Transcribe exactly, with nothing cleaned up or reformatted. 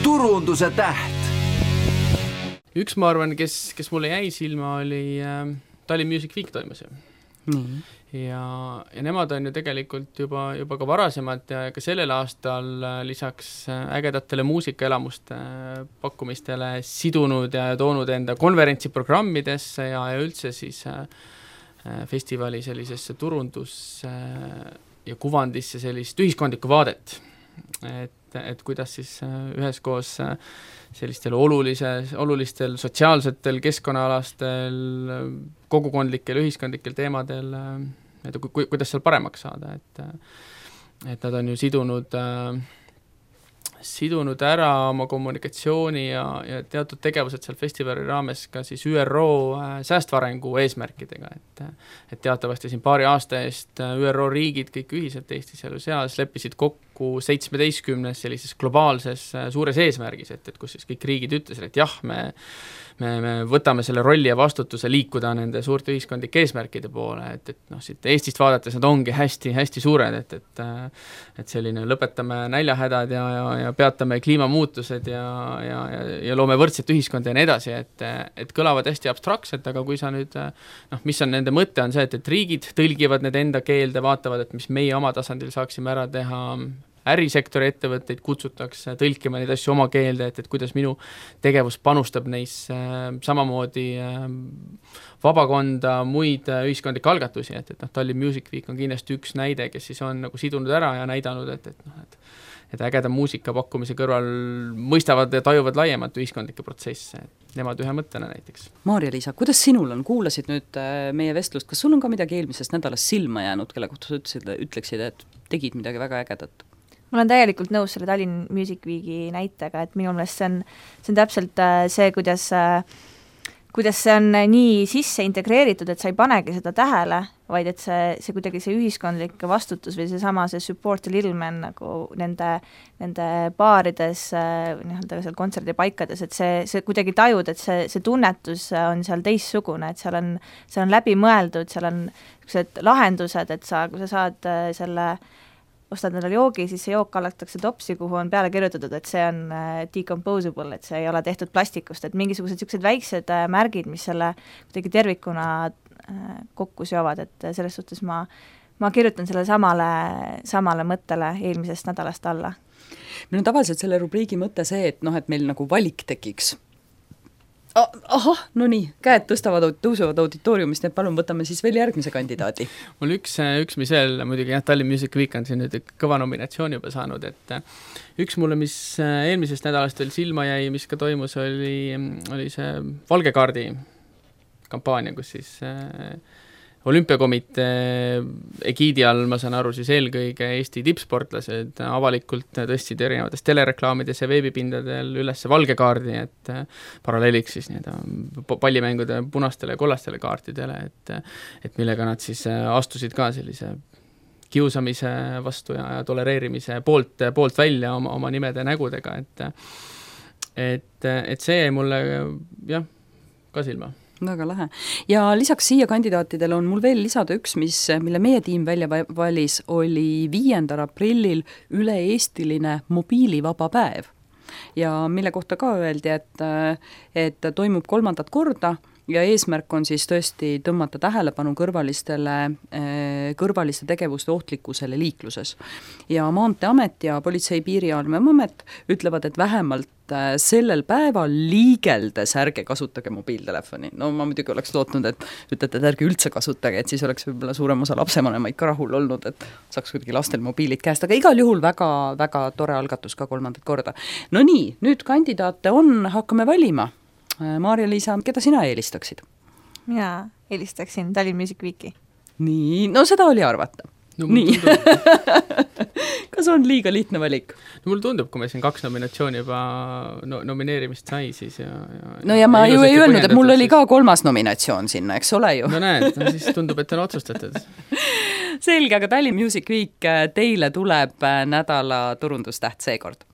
turunduse täht. Üks ma arvan, kes, kes mulle jäi silma, oli äh, Tallinn Music Week toimus ju. Mm. Ja, ja nemad on ju tegelikult juba, juba ka varasemalt ja ka sellel aastal lisaks ägedatele muusikaelamuste pakkumistele sidunud ja toonud enda konverentsiprogrammidesse ja, ja üldse siis äh, festivali sellisesse turundus- ja kuvandisse sellist ühiskondlikku vaadet. Et, et kuidas siis üheskoos sellistel olulise, olulistel sotsiaalsetel, keskkonnaalastel, kogukondlikel, ühiskondlikel teemadel, et ku, kuidas seal paremaks saada, et, et nad on ju sidunud, sidunud ära oma kommunikatsiooni ja, ja teatud tegevused seal festivali raames ka siis Ü R O säästva arengu eesmärkidega, et, et teatavasti siin paari aasta eest Ü R O riigid kõik ühiselt Eestis ja seas leppisid kokku seitsmeteistkümnes sellises globaalses suures eesmärgis, et, et kus siis kõik riigid ütlesid, et jah, me, me, me võtame selle rolli ja vastutuse liikuda nende suurte ühiskondlike eesmärkide poole, et, et noh, siit Eestist vaadates nad ongi hästi, hästi suured, et, et, et selline lõpetame näljahädad ja, ja, ja peatame kliimamuutused ja, ja, ja, ja loome võrdset ühiskonda ja nii edasi, et, et kõlavad hästi abstraktselt, aga kui sa nüüd, noh, mis on nende mõte, on see, et, et riigid tõlgivad need enda keelde, vaatavad, et mis meie oma tasandil saaksime ära teha, ärisektori ettevõtteid kutsutakse tõlkima neid asju oma keelde, et, et kuidas minu tegevus panustab neisse äh, samamoodi äh, vabakonda, muid äh, ühiskondlikke algatusi, et, et noh, Tallinn Music Week on kindlasti üks näide, kes siis on nagu sidunud ära ja näidanud, et, et, noh, et, et ägeda muusika pakkumise kõrval mõistavad ja tajuvad laiemat ühiskondlikke protsesse, et nemad ühe mõttena näiteks. Maarja-Liisa, kuidas sinul on? Kuulasid nüüd meie vestlust, kas sul on ka midagi eelmisest nädalast silma jäänud, kelle kohta sa ütlesid, ütleksid, et tegid midagi väga ägedat? Mul on täielikult nõus selle Tallinn Music Weeki näitega, et minu meelest see on, see on täpselt see, kuidas, kuidas see on nii sisse integreeritud, et sa ei panegi seda tähele, vaid et see, see kuidagi see ühiskondlik vastutus või see sama see support a little man nagu nende, nende baarides, nii-öelda seal kontserdipaikades, et see, see kuidagi tajud, et see, see tunnetus on seal teissugune, et seal on, see on läbi mõeldud, seal on sellised lahendused, et sa, kui sa saad selle ostad endale joogi, siis see jook kallatakse topsi, kuhu on peale kirjutatud, et see on decomposable, et see ei ole tehtud plastikust, et mingisugused sellised väiksed märgid, mis selle kuidagi tervikuna kokku seovad, et selles suhtes ma, ma kirjutan selle samale, samale mõttele eelmisest nädalast alla. Meil on tavaliselt selle rubriigi mõte see, et noh, et meil nagu valik tekiks. Ahah, no nii, käed tõstavad, tõusevad auditooriumist, nii et palun võtame siis veel järgmise kandidaadi. Mul üks, üks mis veel, muidugi jah, Tallinn Music Week on siin nüüd kõva nominatsiooni juba saanud, et üks mulle, mis eelmisest nädalast veel silma jäi, mis ka toimus, oli, oli see Valge kaardi kampaania, kus siis olümpiakomitee egiidi all, ma saan aru, siis eelkõige Eesti tippsportlased avalikult tõstsid erinevates telereklaamides ja veebipindadel üles valge kaardi, et paralleeliks siis nii-öelda pallimängude punastele ja kollastele kaartidele, et, et millega nad siis astusid ka sellise kiusamise vastu ja, ja tolereerimise poolt, poolt välja oma, oma nimede nägudega, et, et, et see jäi mulle jah, ka silma. Väga lähe. Ja lisaks siia kandidaatidele on mul veel lisada üks, mis, mille meie tiim välja valis, oli viiendal aprillil üle-eestiline mobiilivaba päev. Ja mille kohta ka öeldi, et, et toimub kolmandat korda ja eesmärk on siis tõesti tõmmata tähelepanu kõrvalistele, kõrvaliste tegevuste ohtlikkusele liikluses. Ja Maanteeamet ja Politsei- Piirivalveamet ütlevad, et vähemalt sellel päeval liigeldes ärge kasutage mobiiltelefoni. No ma muidugi oleks lootnud, et ütlete, et ärge üldse kasutage, et siis oleks võib-olla suurem osa lapsevanemaid ka rahul olnud, et saaks kuidagi lastel mobiilid käest, aga igal juhul väga, väga tore algatus ka kolmandat korda. No nii, nüüd kandidaate on, hakkame valima. Maarja-Liisa, keda sina eelistaksid? Mina eelistaksin Tallinn Music Weeki. Nii, no seda oli arvata. No, nii. Kas on liiga lihtne valik? No mul tundub, kui me siin kaks nominatsiooni juba no, nomineerimist sai, siis ja, ja, no ja ma ju ei öelnud, et mul oli ka kolmas nominatsioon sinna, eks ole ju? No näed, no siis tundub, et on otsustatud. Selge, aga Tallinn Music Week teile tuleb nädala turundustäht seekord.